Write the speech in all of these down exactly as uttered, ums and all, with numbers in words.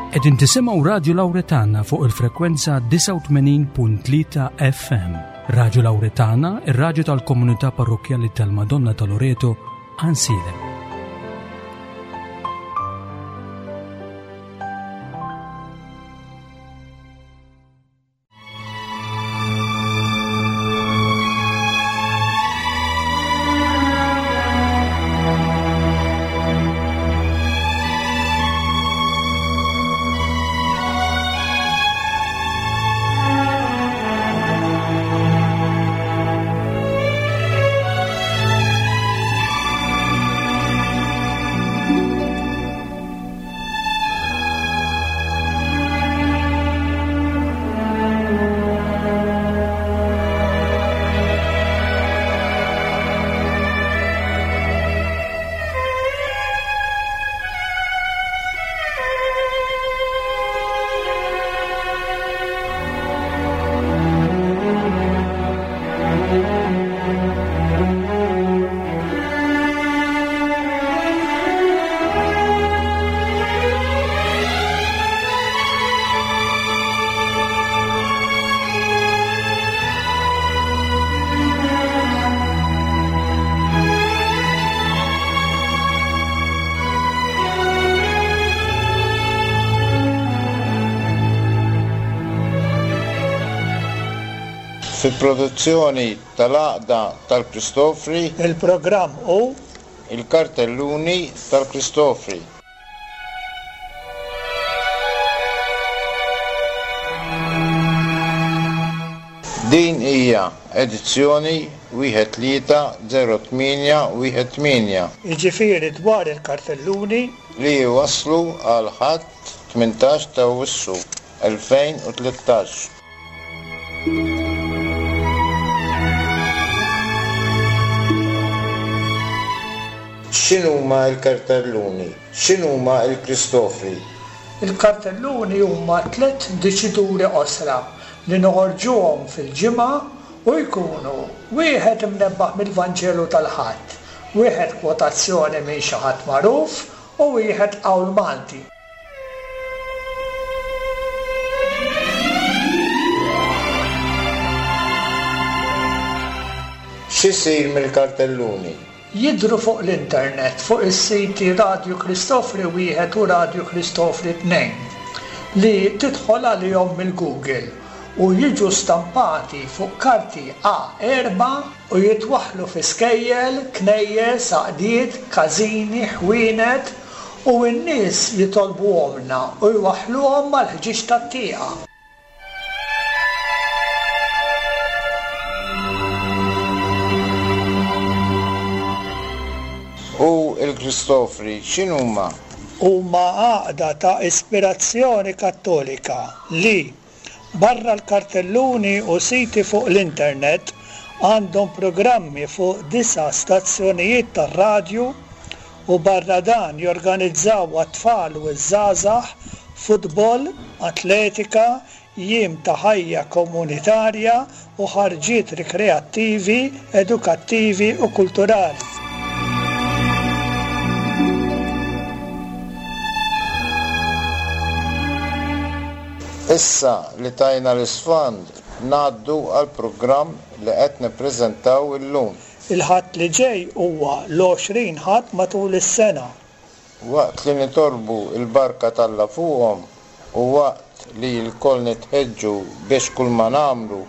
Qegħdin tisimgħu Radju Lawretana fuq il-frekwenza disgħa u tmenin punt tlieta F M. Radju Lawretana, ir-radju tal-komunità parrokkjali tal-Madonna ta' Loreto, Għajnsielem. Fil-produzzjoni tal-Għaqda tal-Kristofri, il-programm u il-kartelluni tal-Kristofri. Din hija edizzjoni wieħed tlieta zero tmienja wieħed tmienja. Jiġifieri dwar il-kartelluni li waslu għal Ħadd tmintax ta' Awwissu elfejn u tlettax. X'inhuma l-kartelluni? X'inhuma l-Kristofri? Il-kartelluni huma tliet diċituri qosra li noħorġuhom fil-ġimgħa u jkunu wieħed imnebbaħ mill-Vanġelu tal-Ħadd, wieħed kwotazzjoni minn xi ħadd magħruf u wieħed qawl Malti. X'isir mill-kartelluni? Jidhru fuq l-internet fuq is-siti Radju Kristofri wieħed u Radju Kristofri tnejn li tidħol għalihom mill-Google u jiġu stampati fuq karti A erba' u jitwaħħlu fi skejjel, knejjes, għaqdiet, każini, ħwienet u n-nies jitolbuhomna u jwaħħluhom mal-ħġieġ tat-tieqa. U l-Kristofri x'inhuma? Huma għaqda ta' ispirazzjoni kattolika li barra l-kartelluni u siti fuq l-internet għandhom programmi fuq disa' stazzjonijiet tar-radju u barra dan jorganizzaw għat-tfal u ż-żgħażagħ futbol, atletika, jiem ta' ħajja komunitarja u ħarġiet rikreattivi, edukattivi u kulturali. Issa li tajna l-isfond, ngħaddu għal programm li qed nippreżentaw illum. Il-Ħadd li ġej huwa l-għoxrin Ħadd matul is-sena. Waqt li nitolbu l-barka t'Alla fuqhom u waqt li lkoll nitħeġġu biex kull ma nagħmlu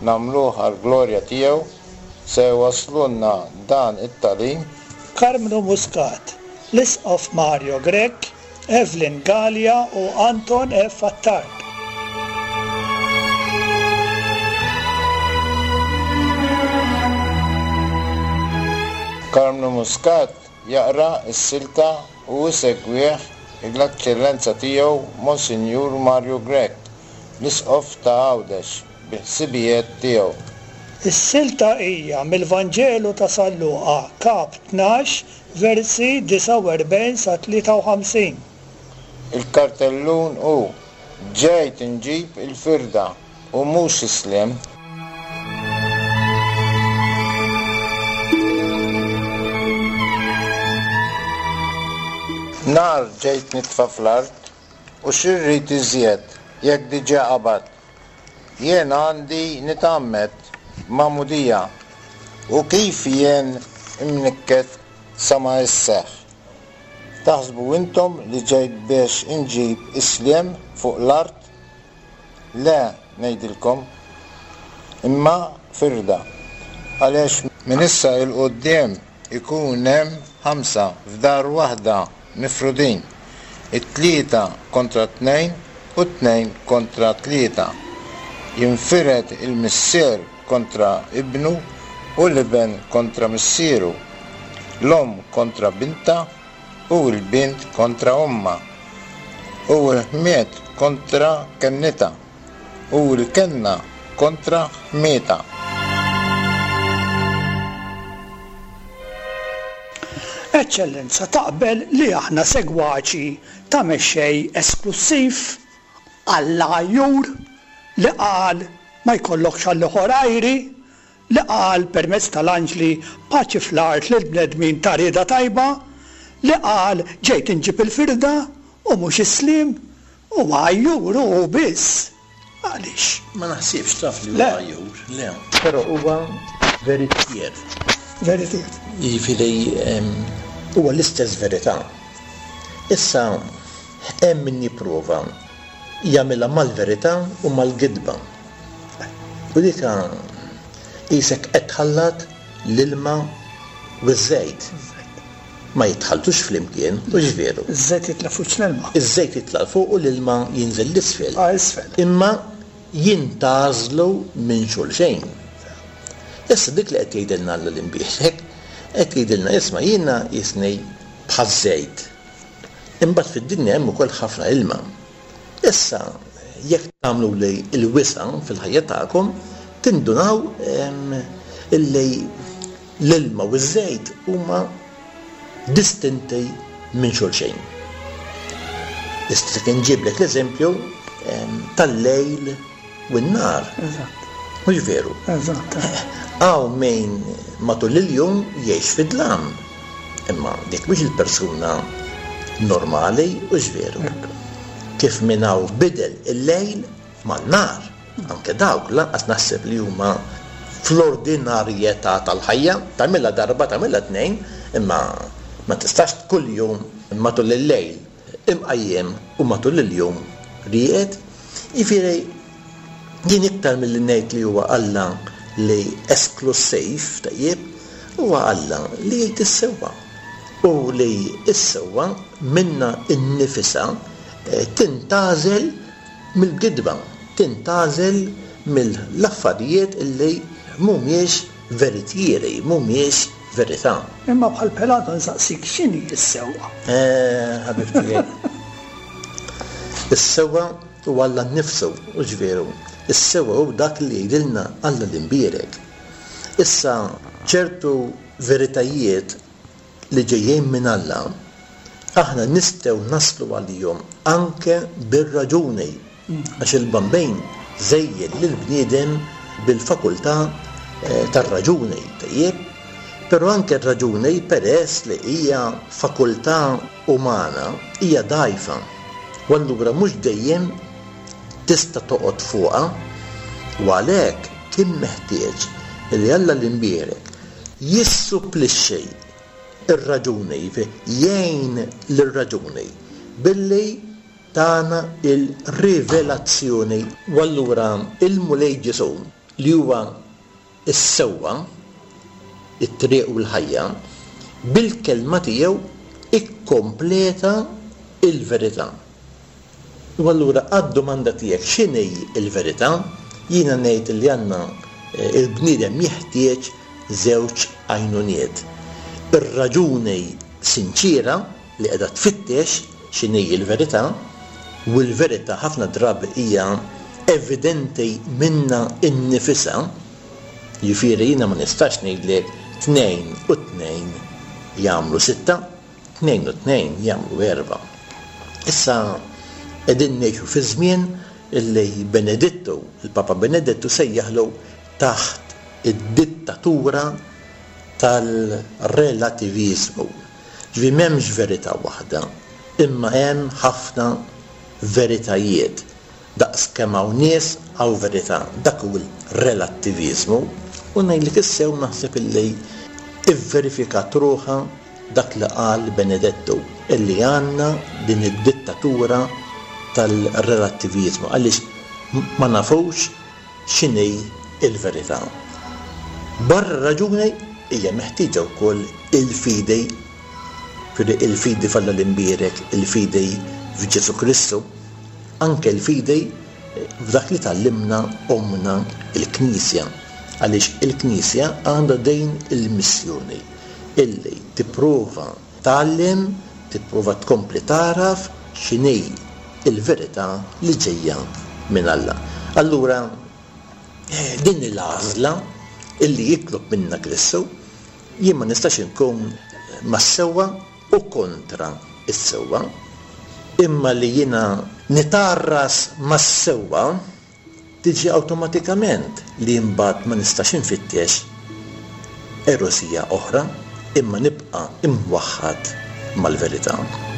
nagħmluh għall-glorja tiegħu, se jwaslulna dan it-tagħlim Karmnu Muscat, l-Isqof Mario Grech, Evelyn Galea u Anton F. Attard. Karmnu Muscat jaqra s-silta u jsegwih l-Eċċellenza tiegħu Monsinjur Mario Grech, l-Isqof ta' Għawdex, bi ħsibijiet tiegħu. Is-silta hija mill-Vanġelu ta' San Luqa, kap tnax, versi disgħa u erbgħin sa tlieta u ħamsin. Il-kartellun hu ġejt inġib il-firda u mhux is-sliem. Nar ġejt nitfa' fl-art U x'irrid iżjed jekk diġà qabad? Jien għandi nitgħammed magħmudija, u kif jien imnikket sa ma isseħħ. Taħsbu intom li ġejt biex inġib is-sliem fuq l-art? Le, ngħidilkom, imma firda. Għaliex minn issa 'l quddiem ikun hemm ħamsa f'dar waħda mifrudin, it-tlieta kontra tnejn u tnejn kontra tlieta. Jinfired il-missier kontra ibnu u l-iben kontra missieru, l-omm kontra binta u l-bint kontra omma, u l-ħmiet kontra kennita, u l-kenna kontra ħmieta. Eċċellenza, taqbel li aħna segwaċi ta' mexxej esklussiv għall-għajjur li qal ma jkollokx għall-ieħor għajri, li qal permezz tal-anġli paċi fl-art lil bnedmin ta' rieda tajba, li qal ġejt inġib il-firda u mhux is-sliem, u għajjur u biss. Għaliex? Ma naħsibx taf li Le. huwa għajjur, le. Però huwa veritier. Veritier. Jiġifieri, ehm, huwa l-istess verità. Issa hemm min jipprova jagħmilha mal-verità u mal-gidba. U dik qisek qed tħallat l-ilma u ż-żejt. Ma jitħalltux flimkien, u ġveru. Iż-żejt jitla' fuq l-ilma. Iż-żejt jitla' fuq u l-ilma jinżel l-isfel. Ah, isfel. Imma jintgħażlu minn xulxejn. Issa dik li qed jgħidilna Alla l-imbierek, qed jgħidilna isma' jiena jisni bħaż-żejt. Imbagħad fid-dinja hemm ukoll ħafna ilma. Issa jekk tagħmlu li l-wisa' fil-ħajja tagħkom, tindunaw, ehm, illi l-ilma u ż-żejt huma distinti minn xulxejn. Issa kien ġiblek l-eżempju, ehm, tal-lejl u n-nar. Eżatt. Mhux veru? Eżatt. Hawn min matul il-jum jgħix fid-dlam. Imma dik mhux il-persuna normali, u veru. Ekku. Kif minn hawn bidel il-lejl man-nar. Anke dawk lanqas naħseb li huma fl-ordinarjetà tal-ħajja, tagħmilha darba, tagħmilha tnejn, imma ma tistax kuljum matul il-lejl imqajjem u matul il-jum rieqed. Jiġifieri jien iktar milli ngħid li huwa Alla li esklusiv, tajjeb, huwa Alla li jgħid is-sewwa. U li s-sewwa minna nnifisha, eh, tintgħażel mill-gidba, tintgħażel mill-affarijiet illi mhumiex veritieri, mhumiex verità. Imma bħal Pilato nsaqsik x'inhi s-sewwa? Eh, ħabib tiegħi. Is-sewwa huwa Alla nnifsu, u ġveru. Is-sewwa hu dak li jgħidilna Alla l-imbierek. Issa ċertu veritajiet li ġejjin minn Alla, aħna nistgħu naslu għalihom anke bir-raġuni, għax il-Bambin żejjed lill-bniedem bil-fakultà, eh, tar-raġuni, tajjeb? Però anke r-raġuni, peress li hija fakultà umana, hija dgħajfa. U allura mhux dejjem tista' toqgħod fuqha, u għalhekk kien meħtieġ li Alla l-imbierek jissupplixxi ir-raġuni, jgħin lir-raġuni billi tana il-rivelazzjoni. U allura il-Mulej Ġesù, li huwa s-sewwa, it-triq u l-ħajja, bil-kelma tiegħu ikkompleta il-verità. U allura għad-domanda tiegħek x'inhi l-verità, jiena ngħid li għandna, eh, il-bniedem jeħtieġ żewġ għajnuniet. Ir-raġuni sinċira li qiegħda tfittex x'inhi l-verità, u l-verità ħafna drabi hija evidenti minna innifisha. Jiġifieri jiena ma nistax ngħidlek tnejn u tnejn jagħmlu sitta, tnejn u tnejn jagħmlu erba'. Issa qegħdin ngħixu fi żmien illi Benedittu, il-Papa Benedittu sejjaħlu taħt id-dittatura tal-relativizmu. Ġifieri m'hemmx verità waħda, imma hemm ħafna veritajiet. Daqs kemm hawn nies hawn verità. Dak hu l-relattiviżmu. U ngħidlek issew naħseb illi ivverifikat ruħha dak li qal Benedettu, illi għandna din id-dittatura tal-relattiviżmu, għaliex ma nafux x'inhi il-verità. Barra raġuni hija meħtieġa wkoll il-fidi, il-fidi f'Alla l-imbierek, il-fidi f'Ġesu Kristu, anke l-fidi f'dak li tgħallimna ommna il-Knisja, għaliex il-Knisja għandha din il-missjoni illi tipprova tgħallem, tipprova tkompli tagħraf x'inhi il-verità li ġejja minn Alla. Allura din l-għażla illi jitlob minna Kristu, jien ma nistax inkun mas-sewwa u kontra is-sewwa, imma li jiena nitarras mas-sewwa tiġi awtomatikament li mbagħad ma nistax infittex erosija oħra, imma nibqa' imwaħħad mal-verità.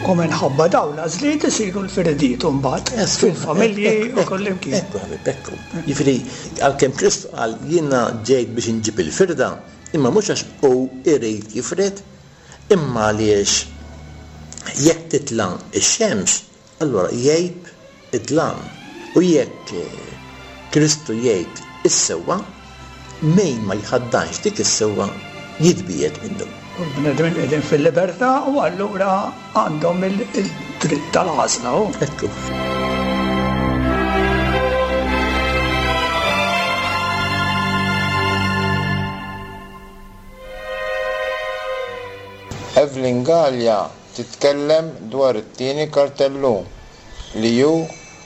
U minħabba dawn l-għażliet isiru l-firdiet mbagħad fil-familji u kullimkien. Ekku, ħabib, ekku. Jiġifieri, għalkemm Kristu qal jiena ġejt biex inġib il-firda, imma mhux għax hu irid jifred, imma għaliex jekk titla' x-xemx, allura jgħib id-dlam. U jekk Kristu jgħid is-sewwa, min ma jħaddanx dik is-sewwa jitbiegħed minnu. U l-bnedmin qegħdin fil-libertà u allura għandhom il-dritt tal-għażla. Ekku. Evelyn Galea titkellem dwar it-tieni kartellun li hu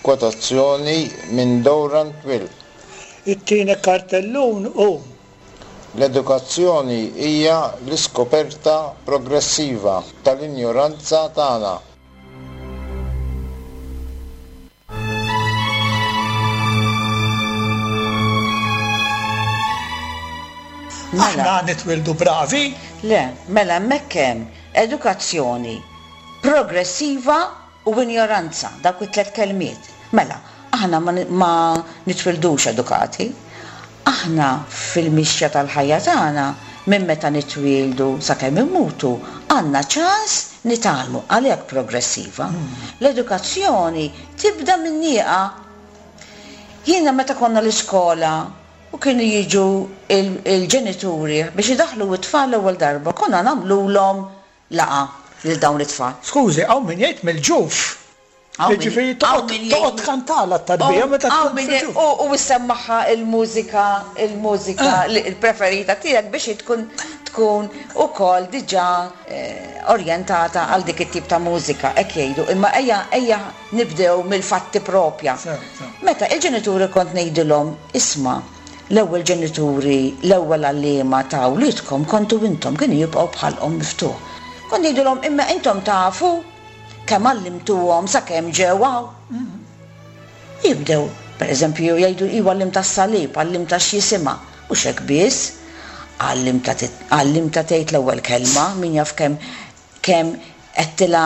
kwotazzjoni minn Durant Will. It-tieni kartellun hu L-edukazzjoni hija l-iskoperta progressiva tal-injoranza tagħna. Aħna nitwildu bravi? Le, mela hemmhekk hemm edukazzjoni progressiva u injoranza, dawk it-tliet kelmiet. Mela, aħna ma nitwildux edukati. Aħna fil-mixja tal-ħajja tagħna minn meta nitwieldu sakemm immutu għandna ċans nitgħallmu, għalhekk progressiva. L-edukazzjoni tibda minn nieqa. Jiena meta konna l-iskola u kienu jiġu il-ġenituri biex idaħħlu t-tfal l-ewwel darba, konna nagħmluhom laqgħa lil dawn it-tfal. Skużi, hawn min jgħid mill-ġuf. Ġifieri toqgħod tkantala t-tarbija meta tkun fil-ġuf. U issemmaħha il-mużika, il-mużika il-preferita tiegħek biex tkun tkun ukoll diġà orjentata għal dik it-tip ta' mużika, hekk jgħidu. Imma ejja ejja nibdew mill-fatti propja. Meta il-ġenituri kont ngħidilhom, isma' l-ewwel ġenituri, l-ewwel għalliema ta' wliedkom kontu intom, kienu jibqgħu bħalqhom miftuħ. Kont ngħidilhom imma intom tafu kemm għallimtuhom sakemm ġew hawn. Jibdew, pereżempju, jgħidu iwa għallimta s-salib, għallimta x'jisimha, mhux hekk biss, għallimta għallimta tgħid l-ewwel kelma, min jaf kemm kemm qedtilha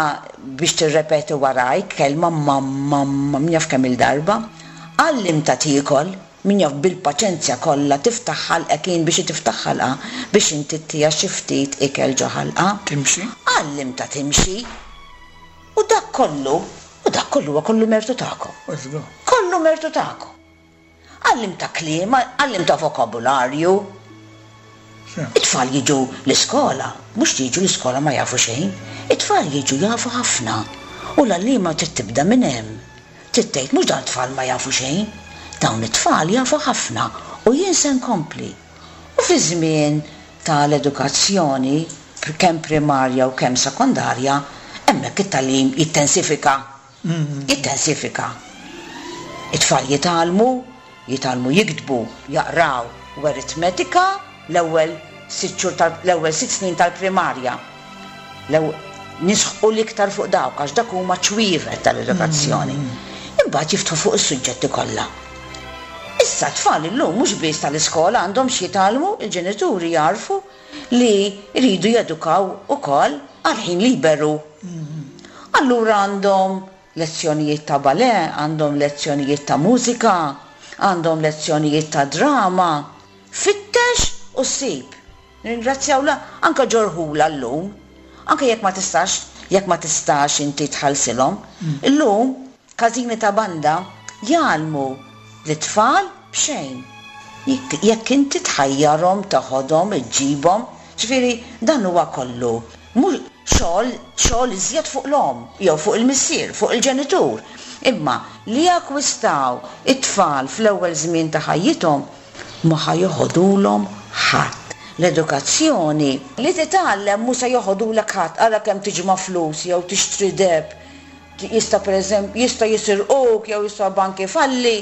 biex tirrepeti warajk kelma mamma, min jaf kemm il-darba, għallimta tiekol, min jaf bil-paċenzja kollha tiftaħ ħalqek jien biex tiftaħ ħalqa biex inti ttiha xi ftit ikel ġo ħalqa. Timxi. Għallimta timxi. U dak kollu, u dak kollu huwa kollu mertu tagħkom. Kollu mertu tagħkom. Għallimta kliem, għallimta vokabularju. It-tfal jiġu l-iskola, mhux jiġu l-iskola ma jafu xejn, it-tfal jiġu jafu ħafna. U l-għalliema trid tibda minn hemm. Trid tgħid mhux dawn it-tfal ma jafu xejn, dawn it-tfal jafu ħafna u jien se nkompli. U fi żmien tal-edukazzjoni, kemm primarja u kemm sekondarja, hemmhekk it-tagħlim jittensifika. Jittensifika. It-tfal jitgħallmu, jitgħallmu jiktbu, jaqraw u aritmetika l-ewwel sitt xhur tal-, l-ewwel sitt snin tal-primarja. Nisħqu l-iktar fuq dawk għax dak huma ċwievet tal-edukazzjoni. Imbagħad jiftħu fuq is-suġġetti kollha. Issa tfal illum mhux biss tal-iskola għandhom xi jitgħallmu, il-ġenituri jarfu li jridu jedukaw ukoll għal ħin liberu. Allura għandhom lezzjonijiet ta' ballet, għandhom lezzjonijiet ta' mużika, għandhom lezzjonijiet ta' drama. Fittex u ssib. Nirringrazzjaw la anke ġorħula llum, anke jekk ma tistax, jekk ma tistax inti tħallsilhom. Illum każini ta' banda jgħallmu l-tfal b'xejn. Jekk inti tħajjarhom, toħodhom, iġġibhom, ġifieri dan huwa kollu. Mhux xogħol, xogħol iżjed fuq l-omm, jew fuq il-missier, fuq il-ġenitur. Imma li jakkwistaw it-tfal fl-ewwel żmien ta' ħajjithom ma ħa joħodulhom ħadd. L-edukazzjoni li titgħallem mhux se joħodulek ħadd, ara kemm tiġma' flus jew tixtri deheb, jista' pereżempju jista' jisirquk jew jista' bank ifalli.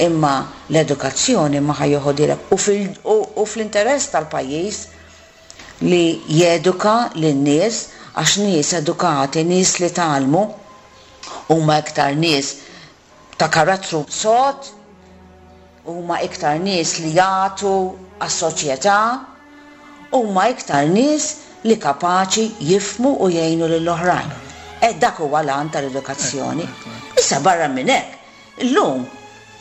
Imma l-edukazzjoni ma ħa joħodilek u u fl-interess tal-pajjiż li jeduka lin-nies, għax nies edukati, nies li tgħallmu, huma iktar nies ta' karattru sod, huma iktar nies li jagħtu għas-soċjetà, huma iktar nies li kapaċi jifhmu u jgħinu lill-oħrajn. E dak huwa l-għan tal-edukazzjoni. Issa barra minn hekk, illum,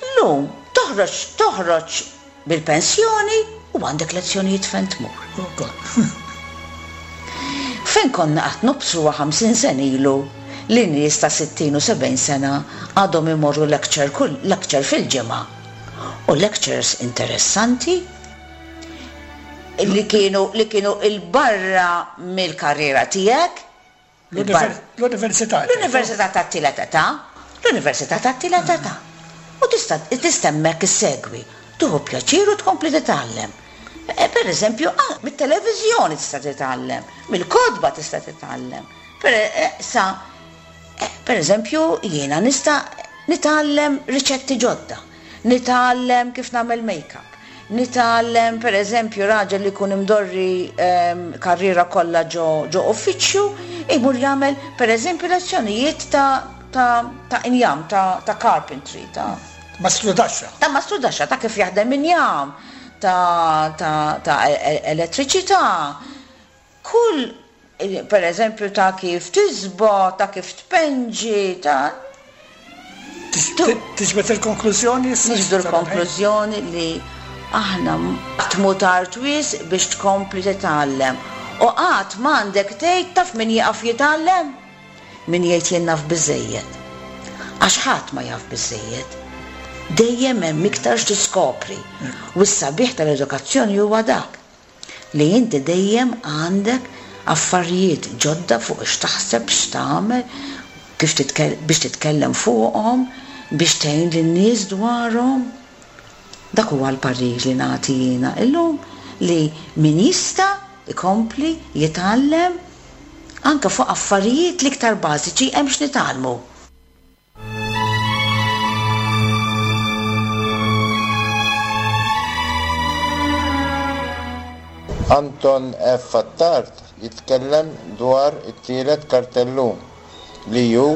illum toħroġ, toħroġ bil-pensjoni u għandek lezzjonijiet fejn tmur. Fejn konna qatt nobsruha ħamsin sena ilu li nies ta' sittin u sebgħin sena għadhom imorru lecture kull lecture fil-ġimgħa. U lectures interessanti li kienu, li kienu il-barra mill-karriera tiegħek. L-università. L-università tat-tielet età, l-università tat-tielet età. U tista' tista' hemmhekk issegwi, tieħu pjaċir u tkompli titgħallem. E, per eżempju, ah, mit-televiżjoni tista' titgħallem, mill-kotba tista' titgħallem. Per, e, sa, e, per eżempju, jiena nista' nitgħallem riċetti ġodda, nitgħallem kif nagħmel make-up, nitgħallem per eżempju raġel li jkun imdorri, ehm, karriera kollha ġo, ġo uffiċċju, imur jagħmel per eżempju lezzjonijiet ta', ta', ta' injam, ta', ta' carpentry, ta' Mastrudaxxa. Ta' mastrudaxxa, ta' kif jaħdem injam, ta', ta', ta' e-, e-, elettriċità. Kull, per eżempju, ta' kif tisbo, ta' kif tpenġi, ta' Tiġbed il-konklużjoni? Niġbdu l-konklużjoni li aħna qatt mhu tard wisq biex tkompli titgħallem. U qatt m'għandek tgħid taf min jieqaf jitgħallem? Min jgħid jien naf biżżejjed. Għax ħadd ma jaf biżżejjed. Dejjem hemm iktar x'tiskopri. U s-sabiħ tal-edukazzjoni huwa dak li inti dejjem għandek affarijiet ġodda fuq x'taħseb, x'tagħmel, kif titkel-, biex titkellem fuqhom, biex tgħin lin-nies dwarhom. Dak huwa l-parir li nagħti jiena illum, li min jista' ikompli jitgħallem anke fuq affarijiet l-iktar bażiċi hemm x'nitgħallmu. Anton F. Attard jitkellem dwar it-tielet kartellun li hu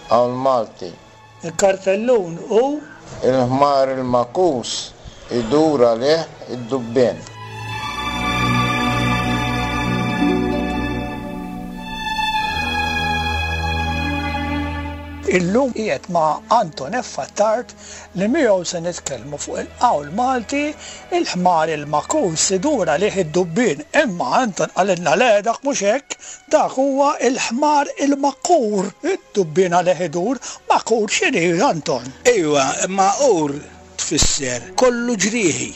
hawn Malti. Il-kartellun hu? Il-ħmar il-makus idur għalih id-dubbien. Illum qiegħed ma' Anton F. Attard li miegħu se nitkellmu fuq il-qawl Malti il-ħmar il-makus idur għalih id-dubbien. Imma Anton qalilna le, dak mhux hekk, dak huwa il-ħmar il-makur, id-dubbien għalih idur. Makur x'inhi, Anton? Ejwa, maqur tfisser kollu ġrieħi,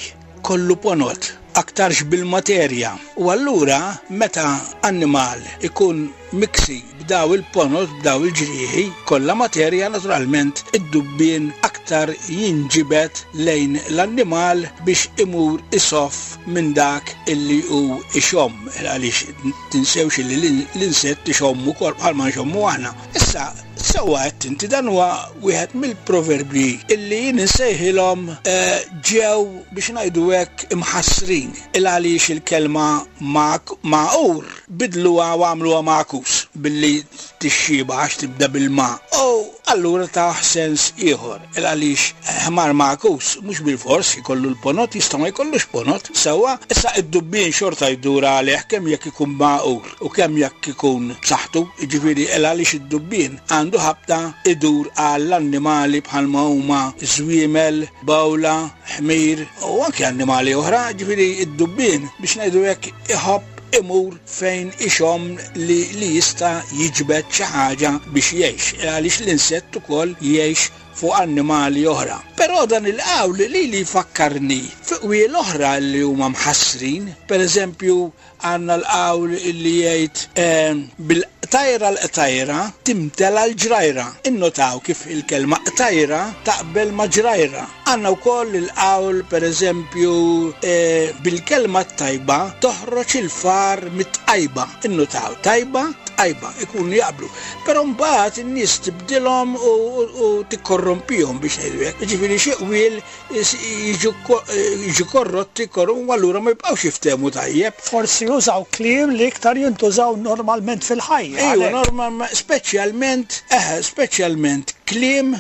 kollu ponot, aktarx bil-materja. U allura meta annimal ikun miksi b'daw il-ponot, b'daw il-ġrieħi, kollha materja, naturalment id-dubbien aktar jinġibed lejn l-annimal biex imur isoff minn dak illi hu ixomm, għaliex tinsewx illi l-in-, l-insett ixommu ukoll bħalma nxommu aħna. Issa, sewwa qed inti, dan huwa wieħed mill-proverbji illi jien insejħilhom, eh, ġew biex ngħidu hekk imħassrin, il għaliex il-kelma mak-, maqur bidluha u għamluha makus. billi tixxiba għax tibda bil-ma. U allura ta' sens ieħor, il għaliex ħmar magħkus mhux bil-fors ikollu l-ponot, jista' ma jkollux ponot. Sewwa, issa id-dubbien xorta jdur għalih kemm jekk ikun magħqur u kemm jekk ikun b'saħħtu, jiġifieri il għaliex id-dubbien għandu ħabta idur għall-annimali bħalma huma żwiemel, bawla, ħmir u anke annimali oħra, jiġifieri id-dubbien biex ngħidu hekk iħobb imur fejn ixomm li, li jista' jiġbed xi ħaġa biex jgħix, għaliex l-insett ukoll jgħix fuq annimali oħra. Però dan il-qawl li li jfakkarni fuq qwiel oħra li huma mħassrin, per eżempju għandna l-qawl li jgħid, eh, bil-qtajra l-qtajra timtela l-ġrajra. Innotaw kif il-kelma qtajra taqbel ma' ġrajra. Għandna wkoll il-qawl per eżempju, eh, bil-kelma tajba toħroġ il-far mit-tqajba. Innotaw tajba, tqajba, ikunu jaqblu. Però mbagħad in-nies tibdilhom u, u, u tikkorrompihom biex ngħidu hekk. Jiġifieri xi qwiel jiġu ko-, jiġu korrotti, korru, u allura ma jibqgħux jiftehmu tajjeb. Forsi jużaw kliem li iktar jintużaw normalment fil-ħajja. Ejwa, għalhekk. normalment, speċjalment, eh, speċjalment kliem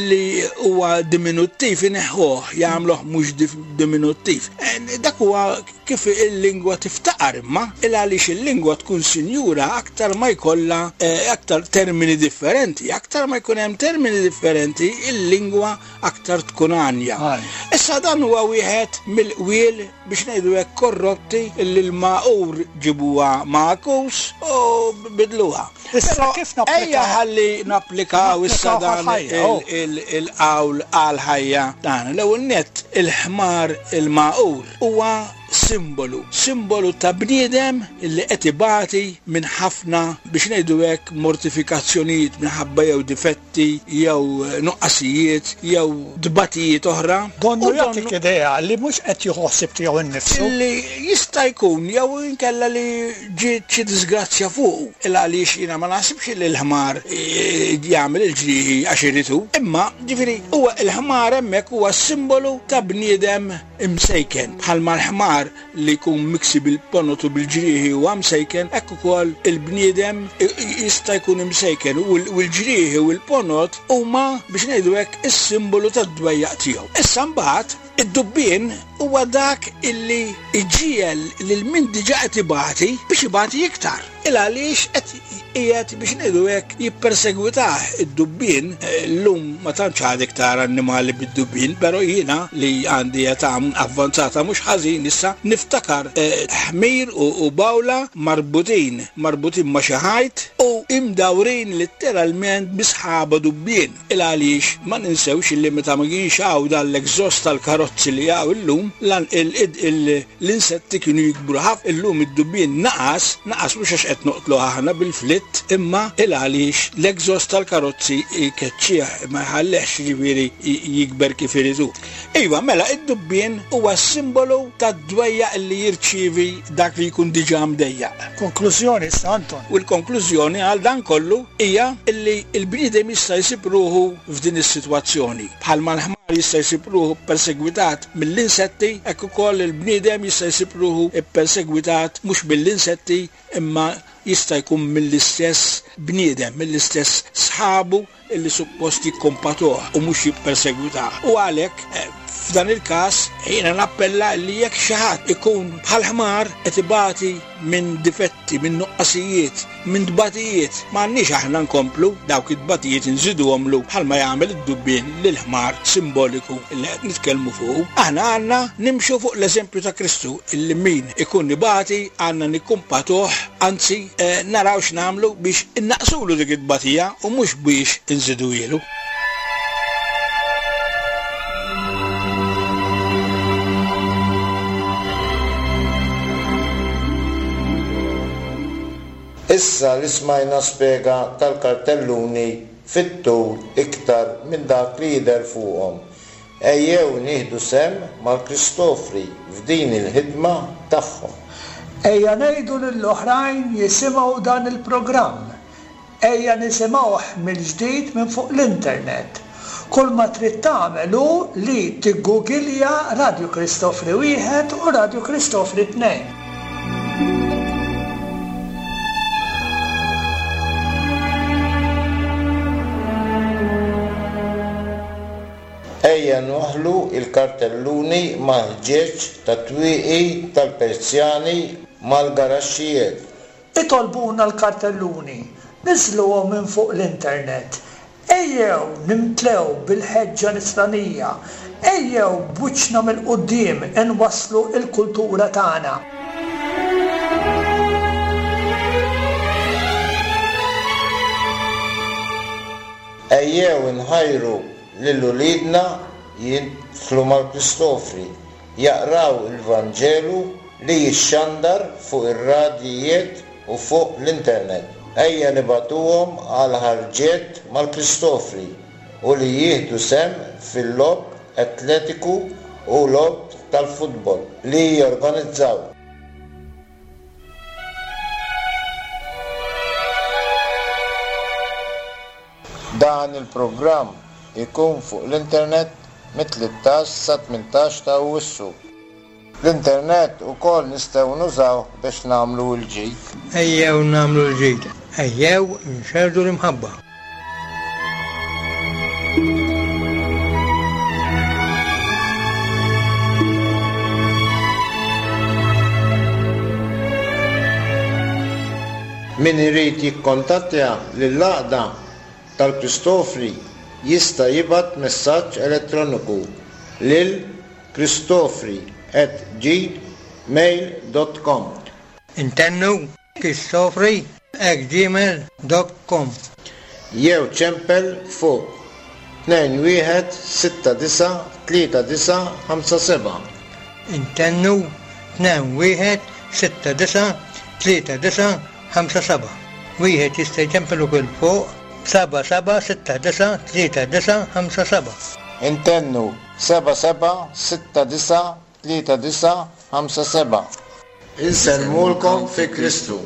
li huwa diminuttiv ineħħuh, jagħmluh mhux dif-, diminuttiv. Eh, dak huwa kif il-lingwa tiftaqar imma, il għaliex il-lingwa tkun sinjura aktar ma jkollha, eh, aktar termini differenti, aktar ma jkun hemm termini differenti, il-lingwa aktar tkun għanja. Għanja. Issa dan huwa wieħed mill-qwiel biex ngħidu hekk korrotti li l-magħqur ġibuha magħkus u bidluha. Issa Però kif napplikaw? ejja ħalli napplikaw issa Napplikaw dan għal-ħajja, oh. il-, il-, il-qawl għal-ħajja tagħna. L-ewwel nett il-ħmar il-magħqur huwa simbolu, simbolu ta' bniedem li qed ibati minn ħafna biex ngħidu hekk mortifikazzjonijiet minħabba jew difetti jew nuqqasijiet jew dbatijiet oħra. Donnu U donnu jagħtik idea li mhux qed jieħu ħsieb tiegħu nnifsu. Li jista' jkun jew inkella li ġiet xi disgrazzja fuqu. Il għaliex jiena ma naħsibx li l-ħmar, eh, jagħmel il-ġrieħi għax iridu. Imma ġifieri huwa l-ħmar hemmhekk huwa simbolu ta' bniedem imsejken. Bħalma l-ħmar li jkun miksi bil-ponotu bil-ġrieħi huwa msejken, hekk ukoll il-bniedem i-, i-, jista' jkun imsejken u l-, u l-ġrieħi u l-ponot huma biex ngħidu hekk is-simbolu tad-dwejjaq tiegħu. Issa mbagħad id-dubbien huwa dak illi iġiegħel lil min diġà qed ibati biex ibati iktar. Il għaliex qed qiegħed biex ngħidu hekk jippersegwitah id-dubbien. Eh, llum ma tantx għad iktar annimali bid-dubbien, però jiena li għandi età avvanzata mhux ħażin issa niftakar, eh, ħmir u, u bawla marbutin, marbutin ma' xi ħajt u imdawrin letteralment bi sħaba dubbien. Il għaliex ma ninsewx illi meta ma kienx hawn dan l-exhaust tal-karozzi li hawn illum, lan il-, il-, il-, l-insetti kienu jikbru ħafna. Illum id-dubbien naqas, naqas mhux għax qed noqtlu aħna bil-flitt, imma il għaliex l-exhaust tal-karozzi jkeċċih ma jħallehx jiġifieri j-, jikber kif iridu. Iva, mela id-dubbien huwa simbolu tad-dwejjaq li jirċievi dak li jkun diġà mdejjaq. Konklużjoni issa, Anton. U l-konklużjoni għal dan kollu hija illi l-bniedem jista' jsib ruħu f'din is-sitwazzjoni. Bħalma l-ħmar jista' jsib ruħu persegwitat mill-insetti, hekk ukoll il-bniedem jista' jsib ruħu ppersegwitat mhux mill-insetti imma jista' jkun mill-istess bniedem, mill-istess sħabu illi suppost jikkompatuh u mhux jippersegwitah. U għalhekk, eh, f'dan il-każ jiena nappella li jekk xi ħadd ikun bħal ħmar qed ibati minn difetti, minn nuqqasijiet, minn tbatijiet, m'għandniex aħna nkomplu dawk it-tbatijiet inżiduhomlu bħalma jagħmel id-dubbien lil ħmar simboliku li qed nitkellmu fuq. Aħna għandna nimxu fuq l-eżempju ta' Kristu illi min ikun ibati għandna nikkumpatuh, anzi, eh, naraw x'nagħmlu biex innaqsulu dik it-tbatija u mhux biex inżiduhielu. Issa li smajna spjega tal-kartelluni fit-tul iktar minn dak li jidher fuqhom. Ejjew nieħdu sehem mal-Kristofri f'din il-ħidma tagħhom. Ejja ngħidu lill-oħrajn jisimgħu dan il-programm. Ejja nisimgħuh mill-ġdid minn fuq l-internet. Kull ma trid tagħmel hu li tiggugilja Radio Kristofri wieħed u Radio Kristofri tnejn. Ejja nwaħħlu l-kartelluni mal-ħġieġ tat-twieqi tal-Persjani mal-garaxxijiet. Itolbuna l-kartelluni, niżżluhom minn fuq l-internet. Ejjew nimtlew bil-ħeġġa nisranija, ejjew b'wiċċna mill-quddiem inwasslu l-kultura tagħna. Ejjew inħajru lil uliedna jidħlu mal-Kristofri, jaqraw il-Vanġelu li jixxandar fuq ir-radijiet u fuq l-internet. Ejja nibagħtuhom għal ħarġiet mal-Kristofri u li jieħdu sehem fil-logħob atletiku u logħob tal-futbol li jorganizzaw. Dan il-programm ikun fuq l-internet mit-tlettax sa tmintax ta' Awwissu. L-internet ukoll nistgħu nużaw biex nagħmlu l-ġid. Ejjew nagħmlu l-ġid. Ejjew nxerrdu l-imħabba. Min irid jikkontattja lill-għaqda tal-Kristofri jista' jibgħat messaġġ elettroniku lil kristofri at gmail dot com. Intennu kristofri at gmail dot com. Jew ċempel fuq tnejn wieħed sitta disa' tlieta disa' ħamsa seba'. Intennu tnejn wieħed sitta disa' tlieta disa' ħamsa seba'. Wieħed jista' jċempel ukoll fuq seba' seba' sitta disa' tlieta disa' ħamsa seba'. Intennu seba' seba' sitta disa' tlieta disa' ħamsa seba'. Insellmulkom fi Kristu.